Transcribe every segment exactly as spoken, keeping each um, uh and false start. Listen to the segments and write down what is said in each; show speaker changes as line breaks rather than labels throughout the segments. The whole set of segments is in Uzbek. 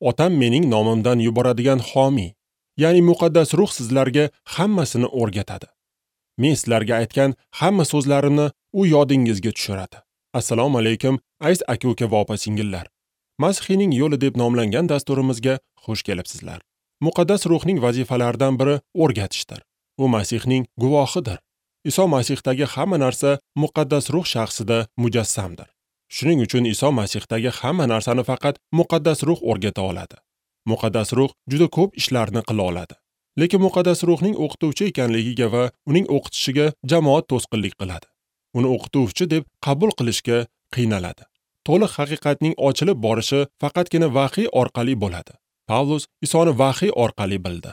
Otam mening nomimdan yuboradigan homiy, ya'ni Muqaddas Ruh sizlarga hammasini o'rgatadi. Men sizlarga aytgan hamma so'zlarimni u yodingizga tushiradi. Assalomu alaykum, aziz aka-uka va opa-singillar. Masihiyning yo'li deb nomlangan dasturimizga xush kelibsizlar. Muqaddas Ruhning vazifalaridan biri o'rgatishdir. U Masihning guvohidir. Iso Masihdagi hamma narsa Muqaddas Ruh shaxsida mujassamdir. Shuning uchun Iso Masihdagi hamma narsani faqat Muqaddas Ruh o'rgata oladi. Muqaddas Ruh juda ko'p ishlarni qila oladi. Lekin Muqaddas Ruhning o'qituvchi ekanligiga va uning o'qitishiga jamoat to'sqinlik qiladi. Uni o'qituvchi deb qabul qilishga qiynaladi. To'liq haqiqatning ochilib borishi faqatgina vahiy orqali bo'ladi. Pavlus Isoni vahiy orqali bildi.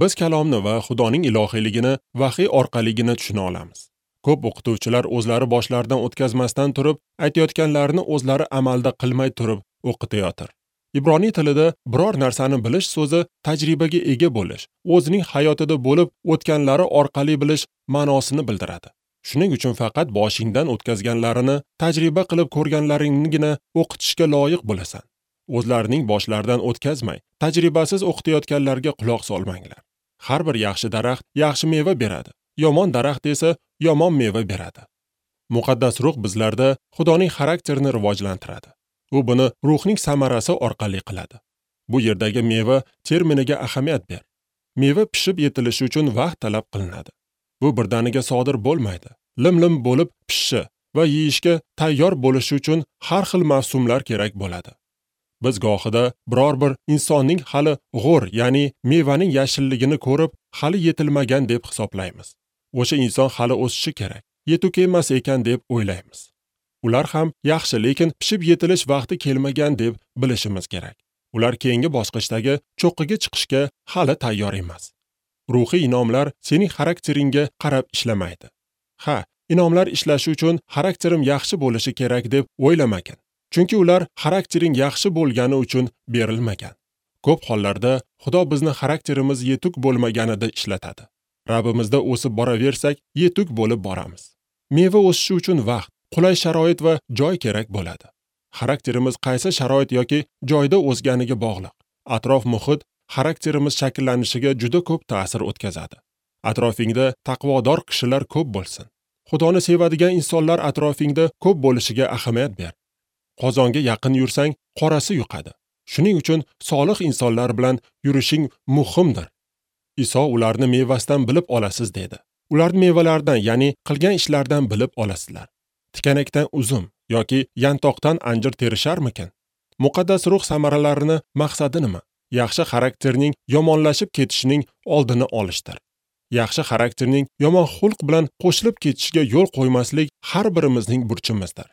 Biz kalomni va Xudoning ilohiyligini vahiy orqaligina tushuna olamiz. Ko'p o'qituvchilar o'zlari boshlaridan o'tkazmasdan turib, aytayotganlarini o'zlari amalda qilmay turib o'qitayotir. Ibroniy tilida biror narsani bilish so'zi tajribaga ega bo'lish, o'zining hayotida bo'lib o'tganlari orqali bilish ma'nosini bildiradi. Shuning uchun faqat boshingdan o'tkazganlarini, tajriba qilib ko'rganlaringnigina o'qitishga loyiq bo'lasan. O'zlarining boshlaridan o'tkazmay, tajribasiz o'qitayotganlarga quloq solmanglar. Har bir yaxshi daraxt yaxshi meva beradi. Yomon daraxt esa yomon meva beradi. Muqaddas Ruh bizlarda Xudoning xarakterini rivojlantiradi. U buni ruhning samarasi orqali qiladi. Bu yerdagi meva terminiga ahamiyat ber. Meva pishib yetilishi uchun vaqt talab qilinadi. Bu birdaniga sodir bo'lmaydi. Lim-lim bo'lib pishishi va yeyishga tayyor bo'lishi uchun har xil mavsumlar kerak bo'ladi. Biz gohida biror bir insonning hali g'o'r, ya'ni mevaning yashilligini ko'rib, hali yetilmagan deb hisoblaymiz. O'sha inson hali o'sishi kerak, yetuk emas ekan deb o'ylaymiz. Ular ham yaxshi, lekin pishib yetilish vaqti kelmagan deb bilishimiz kerak. Ular keyingi bosqichdagi cho'qqiga chiqishga hali tayyor emas. Ruhiy inomlar sening xarakteringga qarab ishlamaydi. Ha, inomlar ishlashi uchun xarakterim yaxshi bo'lishi kerak deb o'ylamagin. Chunki ular xaraktering yaxshi bo'lgani uchun berilmagan. Ko'p hollarda Xudo bizni xarakterimiz yetuk bo'lmaganida ishlatadi. Rabbimizda o'sib boraversak, yetuk bo'lib boramiz. Meva o'sishi uchun vaqt, qulay sharoit va joy kerak bo'ladi. Xarakterimiz qaysi sharoit yoki joyda o'sganiga bog'liq. Atrof muhit xarakterimiz shakllanishiga juda ko'p ta'sir o'tkazadi. Atrofingda taqvodor kishilar ko'p bo'lsin. Xudoni sevadigan insonlar atrofingda ko'p bo'lishiga ahamiyat ber. Qozonga yaqin yursang, qorasi yuqadi. Shuning uchun solih insonlar bilan yurishing muhimdir. Iso ularni mevasidan bilib olasiz dedi. Ularni mevalaridan, ya'ni qilgan ishlaridan bilib olasizlar. Tikanakdan uzum yoki yantoqdan anjir terisharmikin? Muqaddas Ruh samaralarini maqsadi nima? Yaxshi xarakterning yomonlashib ketishining oldini olishdir. Yaxshi xarakterning yomon xulq bilan qo'shilib ketishiga yo'l qo'ymaslik har birimizning burchimizdir.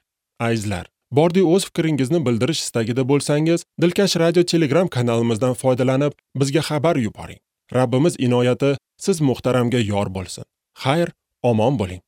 Azizlar, bordi o'z fikringizni bildirish istagida bo'lsangiz, Dilkash Radio Telegram kanalimizdan foydalanib, bizga xabar yuboring. Rabbimiz inoyati siz muhtaramga yor bo'lsin. Xayr, omon bo'ling.